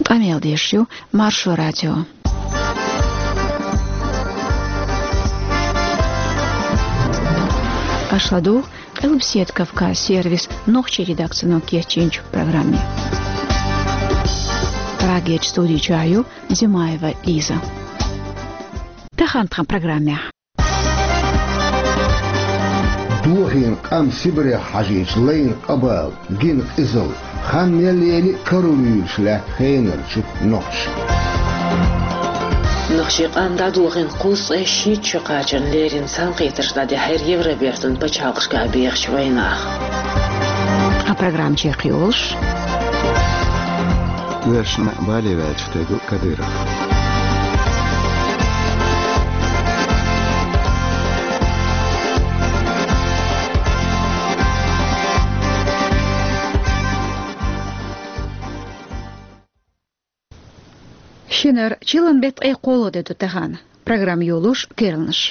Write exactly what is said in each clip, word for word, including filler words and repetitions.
Къамел деш ю Маршо радио. Аша ладугӀу Къилбаседа Кавказ сервисан нохчийн редакцино кечйинчу программе. Прагерчу студи чохь ю Димаева Лиза. Тахана тхан программехь. Дохийна къам Сибрех хьажийча лайна къа-бала, гина къизалла, хан мел лели а карла луьйлуш лаьтта хенарчу нохчаша. Нохчийн къам дӀадохийна кхузткъе шийтта шо кхачарна леррина цхьаьнакхетарш дӀадихьира Евробертан пачхьалкхашкахь бехачу вайнаха. Тхан программа чекхйолуш. Оьшна бале ваьлча тегу Кадыров. Шинара, чиллан беттан ткъе кхоалгӀа де ду тахана. Программа йолуш керланаш.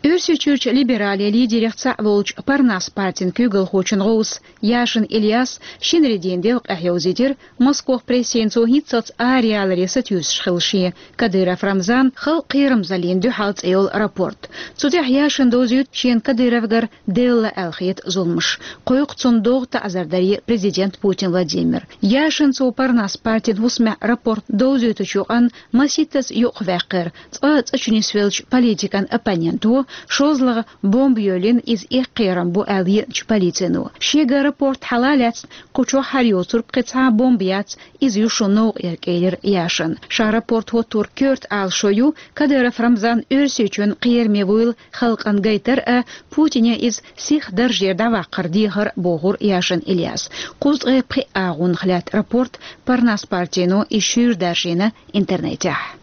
Оьрсийчуьрчу либерале лидерех цхьаъ волчу Парнас партин куьйгалхочун гӀовс Яшин Ильяс шинарин дийнан делкъехь йовзийтира Москох прессина цо хӀинццалц араяьллале сатуьйсуш хилла шен Кадыров Рамзан «Халкъан кхерамзаллин дуьхьал» цӀе йолу рапорт. Цу тӀехь Яшина довзуьйту шена Кадыровгара делла аьлла хета зуламаш. Кхойкху цунна догӀу таӀзар даре президент Путин Владимир. Яшина цо Парнас партин хӀусамехь рапорт довзуьйтучу юкъанна масийттаза юкъаваьккхира цкъа а цӀа чу нисвеллачу политикан оппоненто, шозлагӀа бомба йоьллина иза эккхарам бу аьлла еанчу полицино. Шегара рапорт хьала а лаьцна, кху чохь хӀара йоцург кхин цхьа а бомба яц, иза ю шун новкъа яра, элира Яшина. Ша рапорт хӀоттор коьрта Ӏалашо ю Кадыров Рамзан Оьрсийчоьнан кхераме вуйла халкъана гайтар а, Путине иза сиха даржера дӀаваккхар дехар а, бохура Яшин Ильяс. Кхузткъе пхи агӀонах лаьтта рапорт Парнас партино иза шуьйра даржийна интернетехь.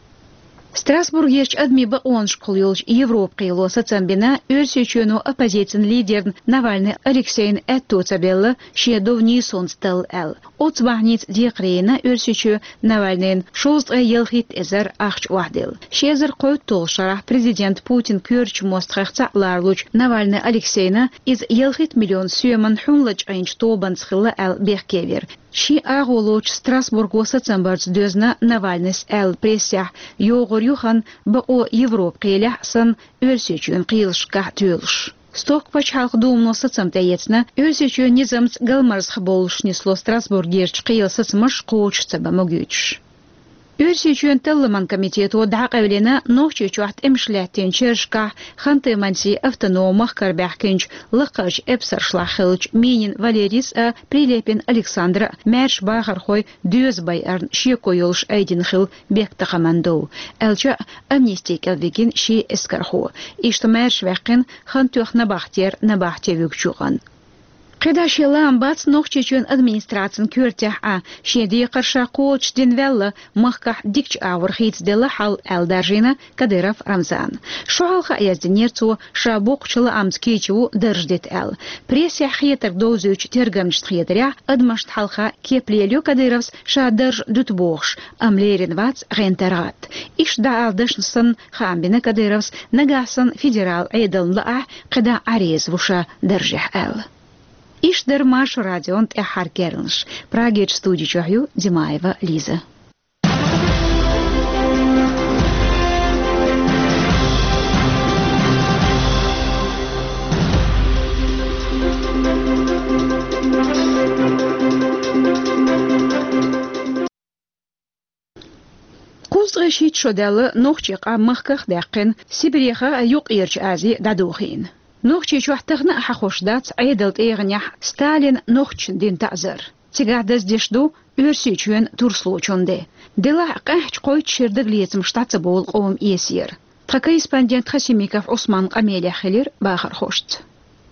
Страсбургерчу адамийн бакъонашкахула йолчу Европа-кхело сацам бина Оьрсийчоьно оппозицин лидерна Навальный Алексейна аьтто ца белла шен дов нийсонца талла аьлла. Оцу бахьаница декхаре йина Оьрсийчоь Навальныйна шовзткъе ялхитта эзар ахча охьаделла. Ши эзар кхойтталгӀачу шарахь президент Путин коьртачу мостагӀех цхьаъ ларалучу Навальный Алексейна иза ялхитта миллион соьман хьун лачкъийначу тобанца хилла аьлла бехке вира. Шен агӀо лоцуш Страсбурго сацам барца доьзна Навальныйс аьлла прессехь йогӀур ю хан бакъо Европа-кхелехь а санна, Оьрсийчоьнан кхелашкахь а тоьлуш. Стоккхачу пачхьалкхан думано сацам тӀеэцна, Оьрсийчоьнан низамца галмазах боллуш нисло Страсбургерчу кхелан сацамаш кхочуш ца бан могуьйтуш. Оьрсийчоьнан талламан комитето дӀакъевлина Нохчийчохь тӀемаш лаьттинчу шерашкахь Ханты-Мансийн автономан махкара баьхкинчу лакхарчу эпсаршлахь хиллачу Минин Валерийс а, Прилепин Александр а маьрша бахархой доьза байарна шеко йолуш айдина хилла бехктакхаман дов, аьлча а, амнисти кӀел вигина ши эскархо. Иштта маьрша ваьккхина Хантоьхна набахтера набахте вуьгучу юкъанна. КхидӀа шен лаам бац Нохчийчоьнан администрацин коьртехь а, шен декхар ша кхочушдина ваьлла, махкахь дикачу агӀор хийцаделла хьал аьлла даржийна Кадыров Рамзана. Шо хьалха а яздинера цо, ша боккхачу лаамца кийча ву дарж дита аьлла. Прессехь хетарг довзуьйтучу тергамчашна хетарехь, адамашна хьалха кеп лелайо Кадыровс ша дарж дуьту бохуш, амма лерина вац гӀентар гӀатта. Иштта дӀаала дашна санна, хаам бина Кадыровс, нагахь санна федерал Ӏедална лаахь, кхидӀа Ӏа реза ву ша даржехь аьлла. Иштта дара Маршо радион тӀаьххьара керланаш. Прагерчу студи чохь ю Димаева Лиза. Кхузткъе шийтта шо даьлла нохчийн къам махках а даьккхина, Сибреха а, Юккъерчу Ази а дӀадохийна. Нохчийчохь тахана а хьахош дац Ӏедалан тӀегӀанехь Сталина нохчашна дина таӀзар. Цигахь даздеш ду Оьрсийчоьнан турслучун де. Делахь а, къаьхьачу кхойтта шеран дагалецамаш дӀа ца бовлу къоман эсера. Тхан корреспондент Хасимиков Ӏусманан къамелехь хилира бахархошца.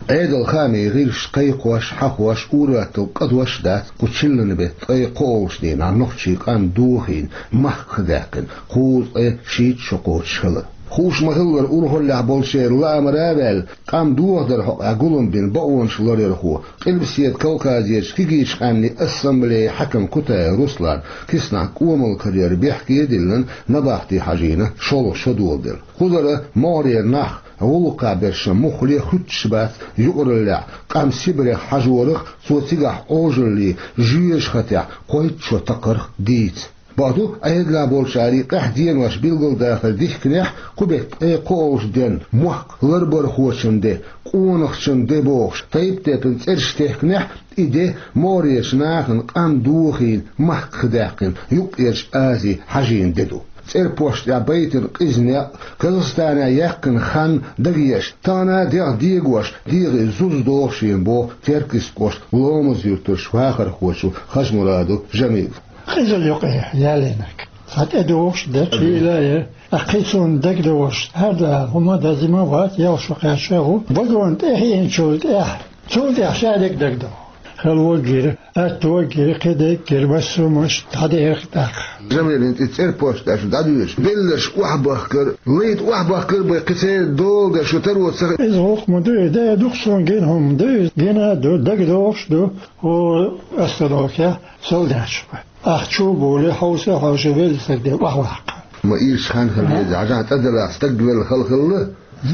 Ӏедалан хаамийн гӀирсаша кхайкхош, хьахош, ур-атталла кӀадош а дац кху чиллан беттан ткъе кхоалгӀачу дийнахь нохчийн къам дохийна, махках а даьккхина, кхузткъе шийтта шо кхочуш хилар. Хууш ма-хиллара, урхаллехь болчеран лаамара а ваьлла, къам дохадаран хьокъехь гулам бина бакъонаш ларъярхо, Къилбаседа Кавказерчу кегийчу къаьмнийн ассамблеян хьаькам Кутаев Руслан киснахь кӀомал карара бехке а диллина, набахте хьажийна шолгӀа шо доладелла. Кхузара могӀарера нах гӀуллакхехь берш муххале а хуьттуш бац юкъараллехь къам Сибрех хьажорах, цо цигахь Ӏожаллин жоьжахатехь кхойтта шо такхарх дийца. Бакъду, Ӏедалехь болчарех къаьхьа денош билгалдахар дихкинехь, кху беттан ткъе кхоалгӀачу денна мохк ларбархочун де, къонахчун де бохуш, тайп-тайпана цӀераш техкинехь, и де могӀарерчу нахана къам дохийна, махках даьккхина, Юккъерчу Азе хьажийна де ду. ЦӀерпошта тӀехь байтина къиза некъ, Казахстанехь яьккхина хан дагеаш, тахана а дегӀ дегош, дегӀе зуза догӀу шена боху Теркйист кӀоштан Ломаз-Юьртарчу вахархочо Хажмурадов Жамила. Къизалла юкъе ялийнарг. Цхьа тӀедогӀуш дара, шийла а яра. Ткъа кхин цунна дагадогӀуш, хӀара хӀума дан зима вац, ялх шо кхаьчча а ву. Вагон тӀе хиъначул тӀаьхьа, цул тӀаьхьа ша дерг дагадогӀу. Хала ваггира, атта ваггира, кхин дерг гира, массо а муш дӀадеара тӀаккха. Жамилин тӀе цӀерпошта тӀехь шу дӀадоьдуш, белларш охьабахкар, лайта охьабахкар бай, кхин церан дола дан шу таро ца хи-. Иза гӀуллакх ма ду, и да дукха суна гина хӀума ду, иза гина а ду, дагадогӀуш ду. ХӀора остановкехь солдаташ бу. Ахча чу а бовлий, хьовса а хьовсий, велла стаг де охьаваккха. Ма ирча хан хила веза, хьажахь тӀадалахь стаг велла хала хилла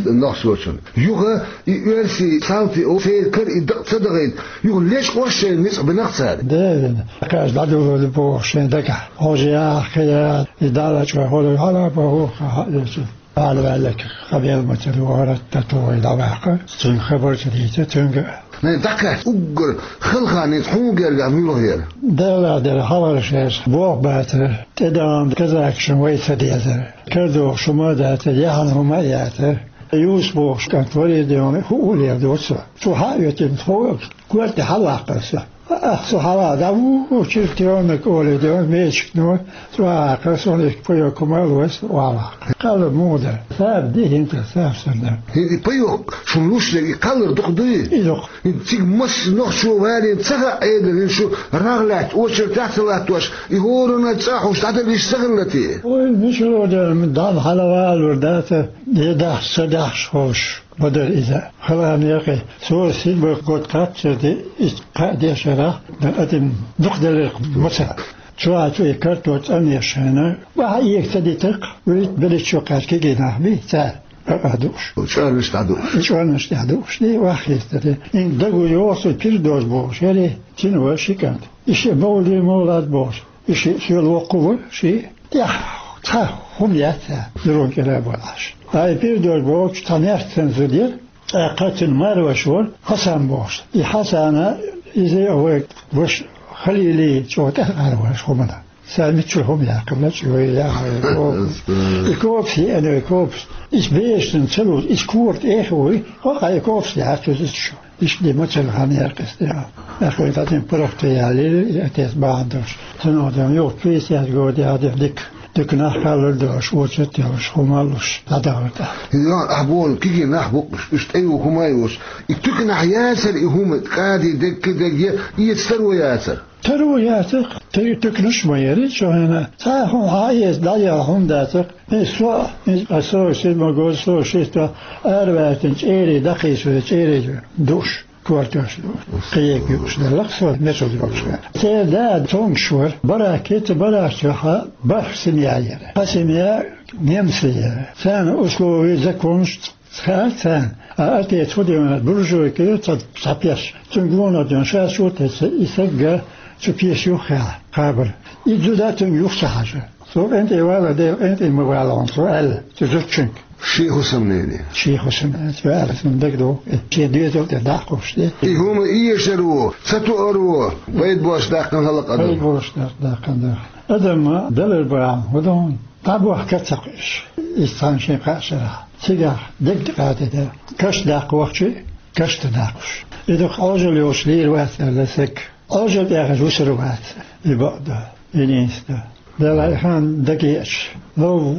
нохчочун. Юха и оьрсийн салти о церан кара и дакъа ца дахийта, юха лечкъош шайн ницкъ бинарх цара. Девина, кхаьчча дӀадуьллур ду бохуш шайн дагахь. Хьожа яхьа, кхин яхьа, и Далла чӀогӀа хьо хьала а боху, хьа а лечу. Ала ваьлларг къамел ма ца догӀура, тӀе тухий дӀаваккха, цуьнга хабар ца дийца, цуьнга. Най дӀакхаьчча уггар хала хан хӀинца хьуна гергахь муьлха яра? Делла дера хьалхара шайша болх бацара, тӀедогӀу казакашна вай ца дезара. Кара догӀуш хӀума а дацара, яхьана хӀума а яцара. Юсуп бохуш кӀант варий, дегӀана хӀуъа а леладора цо. Цо хьа а оьттина, тхо корта тӀе хьалаваккхара со. Ахьа со хьалха дӀаву, чиртионнаг олий, дегӀана мечигно, цо а ваккхара, суна и пайок хӀума а лой, со охьаваккхара. Кхалла муха дара? Саба ди хӀинца, саба санна. ХӀинца и пайок шуна луш дерг, и кхаллар дукха дуй? И дукха. ХӀинца цига масса нохчо валийна ца хаьа Ӏедал, хӀинца шу рагӀ лаьтта, очередехь ца латтош, и хӀоранна а цӀахь уьш дӀадала йиш ца хилла те? Ой, мичара дара, дӀа хьалавалалур дац, я дахьаш, ца дахьаш ховш. Ма дара иза. Хала некъий, со сидбарх год кхаччалц де, и кхаа дешарахь, дан атим дукха делларх ма ца. Чохь цу и карто цӀанъеш шайна, баха ийга ца дитарх, вуьйта беллачу кхаьчча кегий нах бий, цара бакъа дууш. ЧӀорнаш дӀадууш. И чӀорнаш тӀехь дууш, ди ваха хиста де. Ин дагу йоху со пирдож бохуш, яри, цина вара ши кӀант. И ши мовли мовлад бохуш. И шиъ соьла воккху вара, шиъ тӀехь цхьа хӀума яц цара, зурма кӀира а бара Ӏаш. Ай, пирдож бохучу цхьа маьрша цан зуда яра, тӀаккха цуьнан марваш вара, Хьасан бохуш. И Хьасана, иза а вай ваша Халили чӀогӀа тӀаьхьара ваша хӀумана. Цара миччуьра хӀума яьккхина, чӀогӀа яхьа, и копас. И копас, и копас. Иза бешан ца луш, иза кора тӀе а хи вуй, кхо-кхо и копас яьхьа цуьнан шу. Иштта ма ца вахана яра кхин стенна. Ахь вайн тӀе паргӀатве ялийра, и отец бахьана долуш. Цунах ден юха пятьдесят год яхьа дика, дика нах кхаллар долуш, очередь йолуш, хӀума а луш, дӀадахара тӀаккха. Йо, ахь боху, кегий нах бу-кх уьш, уьш тӀе ю хӀума а йолуш. И туьканахь яцара и хӀума, кӀади дерг, кхин дерг, я эца таро яцара? Таро яцара-кх, ту-, туьканаш а ма яра, чохь хьуна. Цхьа а хӀума хьан а эца, дӀаяла хӀума дацара-кх. И со, и, а со, ши ма гоза, со, ши сто, араваьстина чӀерий дӀакхийсо, чӀерий дууш. Кортош ду. Кхиега юуш деллакх со, мешалла йоккхуш вара. Церан да цомгуш вара. Барак, кхин цу баракчохь бархӀ семья яра. Цхьа семья немций яра. Царна условия, законаш хаьара царна. А отец хӀун дина, буржуйка яра, цхьа, цхьа пеш. Цуьнга гонах дина, ша чу а тесна, и сагга цу пеш юххехь кхабар. И зуда цуьнга юха ца хьажа. Цо къинтӀе вала, Дела къинтӀе ма вала хьуна, цо аьлла, цу зудчуьнга. Шен хӀусамнене. Шен хӀусамнене, цо аьлла, цунна дагадогӀу, шен доьзал тӀе дӀакхуьуш де. И хӀума эшаро, ца тоаро, пайда бош даьккхина хӀаллакъ адам. Пайда бош даьккхина, даьккхина, даьккхина. Адам далар бахьана, хӀун ду хьуна? ДӀабохка ца кхуьуш. Иза цхьана шен кхаа шарахь. Цигахь дерг тӀекхаьчна дара. Каш даккха вахча, каш тӀе даккхуш. И дукха Ӏожалла йолуш лийр вац аьлла саг. Ӏожалла тӀехь вусур вац, и бакъ ду, и нийса ду. Делахь и хан дагеача, лов,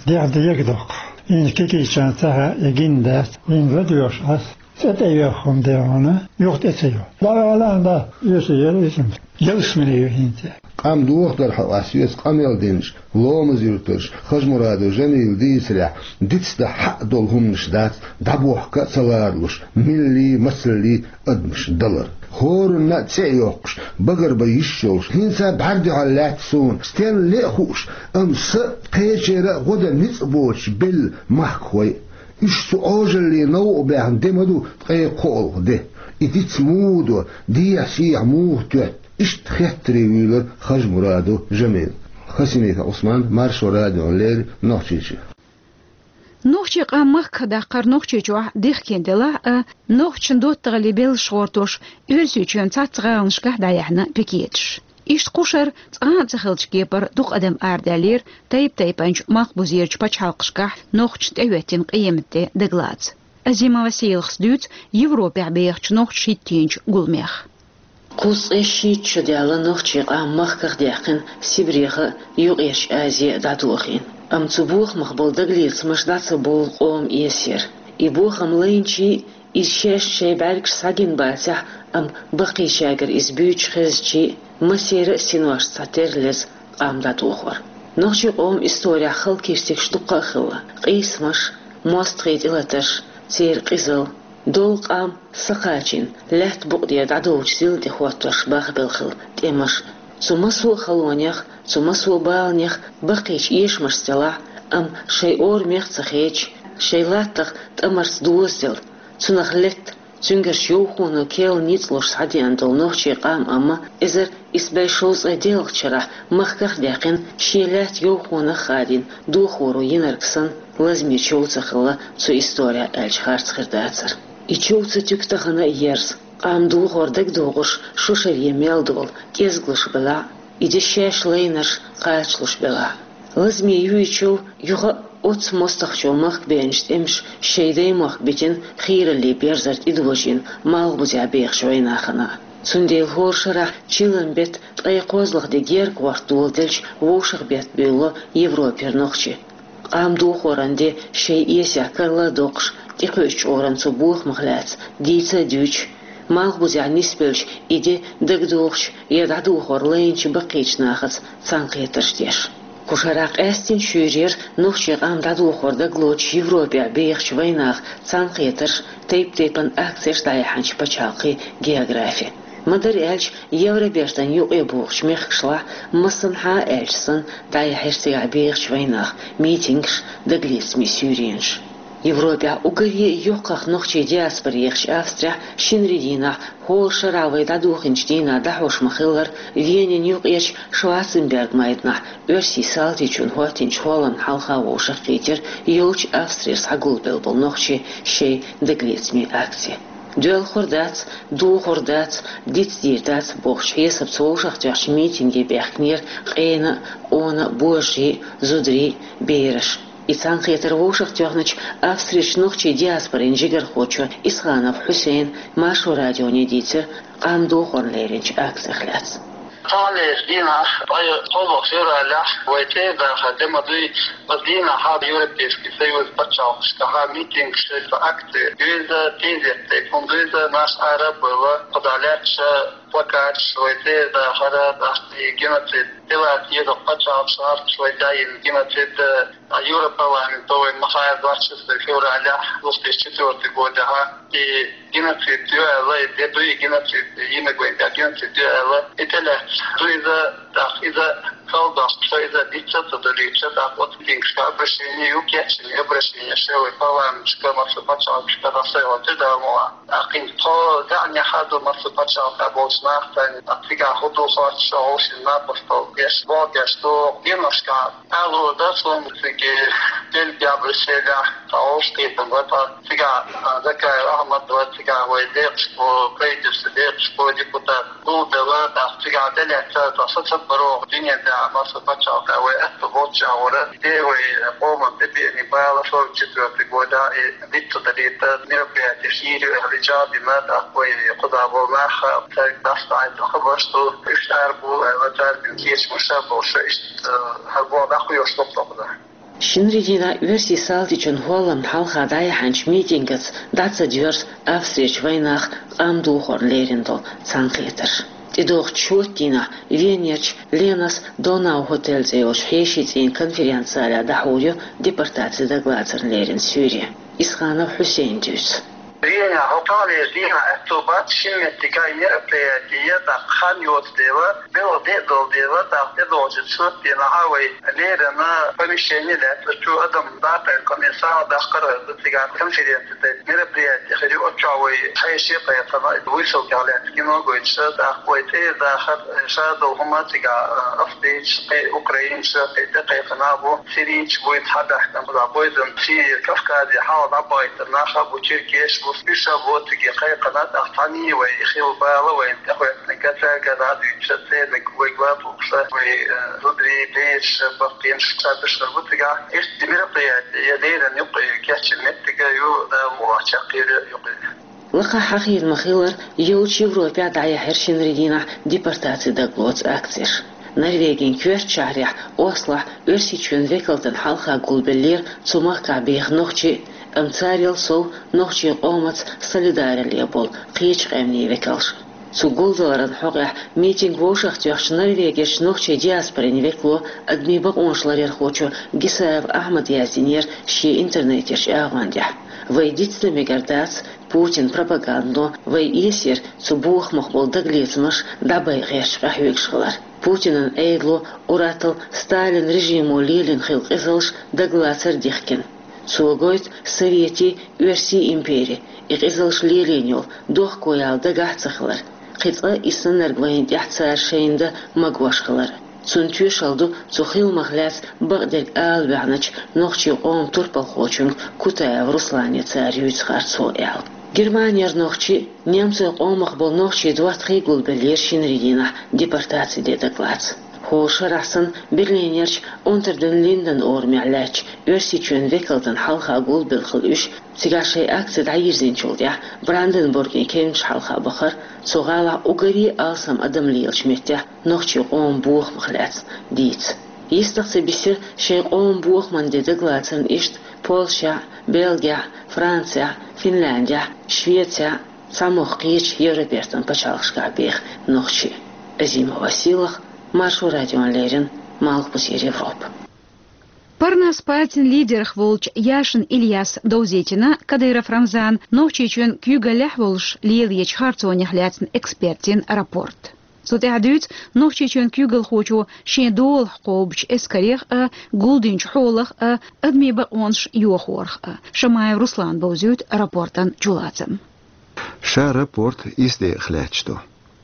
дегӀ дега доккху. ХӀинца кегийчарна ца хаьа, и гина дац. ХӀинца ладоьгӀуш Ӏа, цӀа тӀе йоьху хӀума де хьуна, юха тӀе ца йо. ДӀавала а, да, оьшуш яра иза. Ялсамане ю хӀинца. Къам дохадар хьо ас, оьцу къамел динчу Ломаз-Юьртарчу Хажмурадов Жамилан дийцарехь, дицдан хьаъ долу хӀуманаш дац дӀабохка а ца ларалуш, милли, мацалли адамаш далар. ХӀоранна а цӀе а йоккхуш, багарбан йиш йолуш, хӀинца бӀаьрдехьа лаьтта суна, стенна ле а хууш, амма сан а, кхечеран а гӀо дан ницкъ боцуш белла махкахой а. Уьш цу Ӏожалле новкъа баьхна де ма ду ткъе кхоалгӀа де. И диц муха до, дехьа-сехьа муха тоьтту? Иштта хеттаре вуьйлура Хажмурадов Жамил. Хасимиков Ӏусман, Маршо радиона леррина Нохчийчоь. Нохчийн къам махках даккхар Нохчийчохь дихкина делахь а, нохчашна доттагӀаллин белхаш гӀортош, Оьрсийчоьнан цхьацца гӀаланашкахь дӀаяьхьна пикеташ. Иштта кху шарахь цкъа а ца хиллачу кепара дукха адам арадаьллера тайп-тайпанчу малхбузерчу пачхьалкхашкахь нохчашна тӀехӀоьттина къематде дагалаца. Азима Василахас дуьйцу Европехь бехачу нохчаша хӀиттийначу гуламех. Кхузткъе шийтта шо даьлла нохчийн къам махках даьккхина Сибрех а, Юккъерчу Азе а дӀадохийна. Амма цу бохамах болу дагалецамаш дӀа ца бовлу къоман эсера. И бохам лайначий, иза шаьш шайн бӀаьргаш схьагина бацахь, амма баккхийчаьргара иза буьйцуш хезчий, массеран а синошца цхьатерра леза къам дӀадохор. Нохчийн къоман исторехь хала кирсигаш дуккха а хилла. Къийсамаш, мостагӀийн тӀелатарш, церан къизалла, долу къам са кхачийна, лаьтта букъа тӀера дӀадолучу зил тӀе хӀоттош бахбелла хилла тӀемаш. Цу массо а халонех, цу массо а баланех баккхийчу эшамашца делахь а, амма шайн орамех а ца хедаш, шайн латтах тӀамарца дозаделла, цунах летта, цуьнгарчу йовхоно кел ницкъ луш схьадеана долу нохчийн къам амма эзар исс бӀе шовзткъе диъ шарахь махках а даьккхина, шен лаьтта йовхонах а хадийна, дохоро йинарг санна, лазаме чов ца хилла цу исторехь аьлча харц хир дацара. И чов ца туьгу тахана а ерза, къам дохор дагадогӀурш шо шаре мел долу кӀезигалш белахь а, и де шаьш лайнарш кхачалуш белахь а. Лазаме юй чов юха а оццу мостагӀчо махка беанчу тӀемаша шайн даймохк битина хийраллин берзар тӀедожийна малхбузехь бехачу вайнахана. Цундела хӀора шарахь чиллан беттан ткъе кхозлагӀа де гергахӀотта доладелча вовшахбетта буьйлало Европера нохчий. Къам дохоран де шайн эсех карла а доккхуш, тӀекхуьучу чкъуран цу бохамах лаьцна дийца а дуьйцуш, малхбузехь нисбелча и де дагадохучу я дӀадохор лайначу баккхийчу нахаца цхьаьнакхетарш деш. Кху шарахь къаьстина шуьйрера нохчийн къам дӀадохор дагалоцуш Европехь бехачу вайнаха цхьаьнакхетарш, тайп-тайпана акцеш дӀаяьхьначу пачхьалкхийн географи. Ма-дарра аьлча, Евробертан юкъе богӀучу мехкашлахь массанхьа а аьлча санна дӀаяьхьира цигахь бехачу вайнаха митингаш, дагалецамийн суьйренаш. Европехь уггаре а йоккхах нохчийн диаспора ехачу Австрехь шинарин дийнахь, хӀора шарахь вай дӀадохийначу дийнахь дӀахьош ма-хиллара, Венин юкъерчу Шварценберг майданахь Оьрсийн салтичунна хӀоттийначу хӀолламна хьалха вовшахкхийтира йолчу Австрера схьагулбелла болу нохчийн шайн дагалецамийн акци. «Доьлхур дац, дохур дац, дицдийр дац» бохучу хьесапца вовшахтоьхначу митинге баьхкинера къена а, къона а, божарий а, зударий а, бераш. И цхьаьнакхетар вовшахтоьхначу Австрерчу нохчийн диаспорин жигархочо Исханов Хьусейна Маршо радионе дийцира къам дохорна леринчу акцех лаьцна. Цхьаллера дийнахь, ткъе кхоалгӀа февралехь, вай цӀера дахар де ма дуй, оцу дийнахь Европейский Союз пачхьалкхашкахь митингаш, акци дуьйцу, тезет тӀе хӀума дуьйцу, нах Ӏара а бевлла, кху дӀа лаьтташ плакаташ, вай цӀера дахар, тӀаккха и геноцид, тӀелаца деза пачхьалкхаш, гӀазкхаша вай тӀе йина геноцид, а, Европарламенто вай ма хаьа, двадцать шестого февралехь, две тысячи четвёртый годехь, и геноцид ю аьлла, и де дуй геноцид, йинарг вайн тӀехь геноцид ю аьлла, и тӀелаьцна ду иза, тӀаккха иза хала дош, ша иза диц ца далийча, тӀаккха оцу митингашка обращение ю, кечйина обращение ша вай парламенташка, массо пачхьалкхашка дӀасайолчу дамала. ТӀаккха хӀинца тхо даьӀнехь а ду массо пачхьалкхехь болчу нахаца, тӀаккха цигахь хӀун ду хоттуш, вовшийн напостал деш, боху деш ду, геношкахь. Ало, да, суна цига Бельгехь, Брюсселехь, тхан вовшахкхетам бара тхан, цигахь, а, Закаев Ахьмад вара, цигахь вай декъашхо, правительстван декъашхо, депутат, гулделла, тӀаккха цигахь де лаьцна, тхан сацад барогӀу дуьнен тӀехь массо пачхьалкхехь вай аьтто боцчахь вара. Де вай къоман тӀебеани бала сорок четвёртый года, и диц ца далийта мероприятеш йийр ю аьлла, и чӀагӀдина, тӀаккха вай кхузахь болу нах, цаьрга дӀасадахьийта хабарш ду, уьш ара бу аьлла, цаьрга кечамаш а болуш, иштта, э, хӀара боху дӀакхоьхьуш ду-кх тхо кхузахь. Шинарин дийнахь Оьрсийн салтичунна хӀолламна хьалха дӀаяьхьначу митингаца дӀа ца доьрзу Австрерчу вайнаха къам дохорна лерина долу цхьаьнакхетарш. ТӀедогӀучу шоьтан дийнахь Венерчу Ленас Донау Хотель цӀе йолчу хьешийн цӀийнан конференц-залехь дӀахьур ю депортаци дагалацарна лерина суьйре. Исханов Хьусейна дуьйцу. Дийнахьа, хӀокху таханлерчу дийнахьа аьтто бац шина меттигехь мероприяти е тӀаккха хан йоцу дела, белхан де а долу дела, тӀаккха тӀедогӀучу сурт дийнахьа вай леррина помещение лаьцна, чу адам дӀа а кхайкхина, и сагӀа даккхар а хезна, цигахь конференци тайпа мероприяти хир ю, оццул вай хьеший а кхайкхина, выставкех лаьцна кино гойтуш, тӀаккха вай цӀера дахар, ша долу хӀума цигахь, а, австрийцаш, кхин украинцаш, кхин тӀекхайкхина а бу, сирийцаш буй цхьабаьхкина, цигахь бойзан Сирия, Кавказе хьала дӀабахийтина нах а бу, черкесаш бу, уьш а бу цига кхайкхина, тӀаккха цхьаьний вай хилла бала вайна тӀехӀоьттинарг, цаьрга дӀа а дуьйцуш, церниг вайга ладугӀуш, вай, э, зударий, бераш, баккхий, ша берш а бу цигахь. Иштта мероприяти я леррина юкъа кечйина меттиг а ю, Дала мукъ лахь, чекхъер а ю юкъа. Лакхахь хьахийна ма-хиллара, йолчу Европехь дӀаяьхьира шинарин дийнахь депортаци дагалоцу акцеш. Норвегин коьртачу шахьарехь Ослохь Оьрсийчоьнан векалтана хьалха гулбеллера цу махкахь беха нохчий, амма царел сов нохчийн къомаца солидарале болу кхечу къаьмнийн векалш. Цу гулдаларан хьокъехь митинг вовшахтоьхначу Норвегерчу нохчийн диаспорин векало, адамийн бакъонаш ларъярхочо Гисаев Ахьмада яздинера шен интернетерчу агӀондехь: «Вай дицдан мегар дац Путинан пропагандо, вай эсера цу бохамах болу дагалецамаш дӀабайгӀерчу къахьоьгуш хилар. Путинан Ӏедало, ур-атталла Сталинан режимо лелийна хилла къизалш дагалацар дихкина. Цо гойту Советийн, Оьрсийн импери и къизалш лелийна йолу дохко яла дагахь а ца хилар, кхин цкъа а и саннарг вайна тӀехь цара шайна дан магош хилар. Цунна тоьшалла ду цу хиламах лаьцна бакъдерг ала ваьхначу нохчийн къоман турпалхочуьнга Кутаев Руслане цара юьйцу харцо», — аьлла. Германера нохчий, немцойн къомах болу нохчий доттагӀий гулбеллера шинарин дийнахь депортаци де дагалаца. ХӀора шарахь санна Берлинерчу Унтер ден Линден орамехь лаьттачу Оьрсийчоьнан векалтана хьалха гулбелла хилла уьш, цигахь шайн акци дӀайирзинчул тӀаьхьа Бранденбургин кевнаш хьалха бахара, цу гӀалахь уггаре а алсам адам лелачу меттехь нохчийн къоман бохамах лаьцна дийца. Йистах ца бисира шайн къоман бохаман де дагалацарна иштта Польшехь, Бельгехь, Францехь, Финляндехь, Швецехь, цхьамогӀа кхечу Европертан пачхьалкхашкахь беха нохчий. Азимова Силах, Маршо радиона леррина, Малхбузера Европа. Парнас партин лидерах волчу Яшин Ильяс довзийтина Кадыров Рамзан Нохчийчоьнан куьйгаллехь волуш лелаечу харцонех лаьцна экспертийн рапорт. Цу тӀехь дуьйцу Нохчийчоьнан куьйгалхочо шен долахь кхобучу эскарех а, гулдинчу хьолах а, адамийн бакъонаш йохорах а. Шамаев Руслана бовзуьйту рапортан чулацам. Ша рапорт исс декъах лаьтташ ду.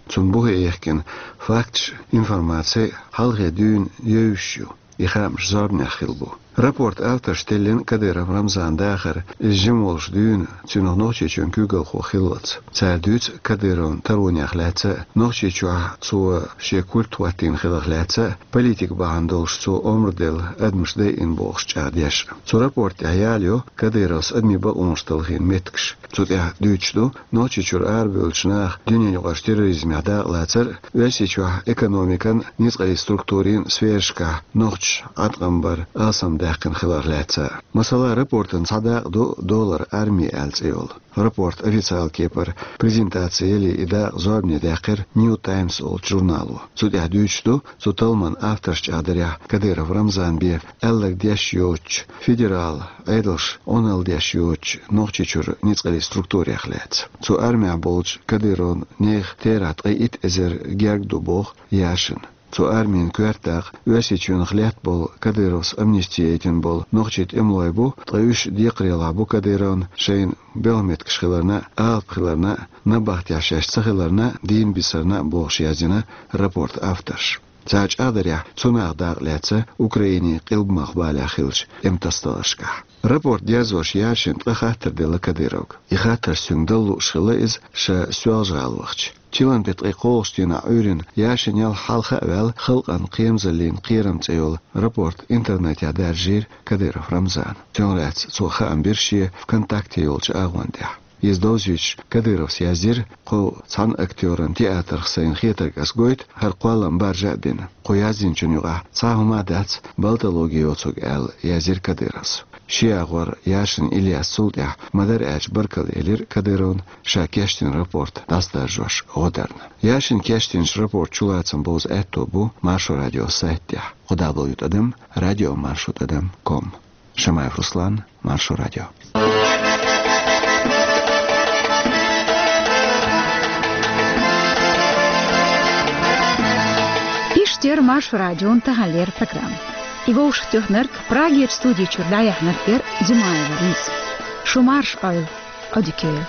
Цунна бухе йихкина факташ, информаци хьалхе дуьйна евзаш ю. И хаамаш зорбанех хилла бу. Рапорт авторш теллина Кадыров Рамзан дахар, иза жима волуш дуьйна цуьнах Нохчийчоьнан куьйгалхо хиллалц. Цара дуьйцу Кадыровн таронех лаьцна а, Нохчийчохь цо шен культ хӀоттийна хиларх лаьцна а, политика бахьана долуш цо омра делла адамаш дайина бохуш чӀагӀдеш. Цу рапорт тӀехь яла йо Кадыровс адамийн бакъонаш талхийна меттигаш. Цу тӀехь дуьйцуш ду Нохчийчуьра арабевллачу наха дуьненаюкъарчу терроризмехь дакъалацар а, Оьрсийчохь экономикан, ницкъаллин структурийн сферашкахь нохчаша Ӏаткъам бар алсамдаьккхина хиларх лаьцна а. Масала, рапортан цхьа дакъа ду «Доллар арми» аьлла цӀе йолу. Рапорт официал кепара презентаци яле, и дакъа зорбане даьккхира New Times олучу журнало. Цу тӀехь дуьйцуш ду цу талламан авторш чӀагӀдарехь, Кадыров Рамзан бен аьлларг деш йоцучу, федерал Ӏедалша Ӏуналла деш йоцучу Нохчийчуьра ницкъаллин структурех лаьцна. Цу армехь болчу Кадыровн нехан терахь ткъе итт эзар герга ду, боху Яшина. Цу армин коьрта дакъа Оьрсийчоьнах летта болу, Кадыровс амнисти яйтина болу нохчийн тӀемалой бу, ткъа уьш декхарийлахь бу Кадыровн шайна белхан меттигаш хиларна а, алапа хиларна а, набахтехь шаьш ца хиларна а, дийна бисарна а, бохуш яздина рапорт авторш. Цара чӀагӀдарехь, цу наха дакъа лаьцна Украинин къилбамах-балехь хиллачу тӀематасадаларшкахь. Рапорт дерзош Яшина ткъа хаттар делла Кадыровга. И хаттарш цуьнга дала лууш хилла иза, ша Соьлжа-ГӀала вахча. Чиллан беттан ткъе кхоалгӀачу дийнахь Ӏуьйранна Яшин ял хьалха а ваьлла, «Халкъан кхерамзаллин кхерам» цӀе йолу рапорт интернетехь даржийра Кадыров Рамзана. Цунах лаьцна цо хаам бира шен ВКонтакте йолчу агӀон тӀехь. Иза довзуьйтуш, Кадыровс яздира: «Кху цхьана актёран театрах сайна хетарг ас гойту, хӀара кхоллам баржа а бина. Кху яздинчун юкъахь цхьа а хӀума дац балтологи йоцург», — аьлла, яздира Кадыровс. Шен агӀор Яшин Ильяс цул тӀаьхьа, ма-дарра аьлча, баркалла элира Кадыровна, ша кечдина рапорт дӀасадаржош гӀо дарна. Яшина кечдинчу рапортан чулацам бовза аьтто бу Маршо радион сайта тӀехь: кхо дабл ю тӀадам радио маршо тӀадам ком. Шамаев Руслан, Маршо радио. Эфирт яр Маршо радион таханлера программа. И вовшахтоьхнарг, Прагера студи чура дӀаяьхьнарг яр Зимаева Лиза. Шун марша Ӏойла, Ӏодика йойла.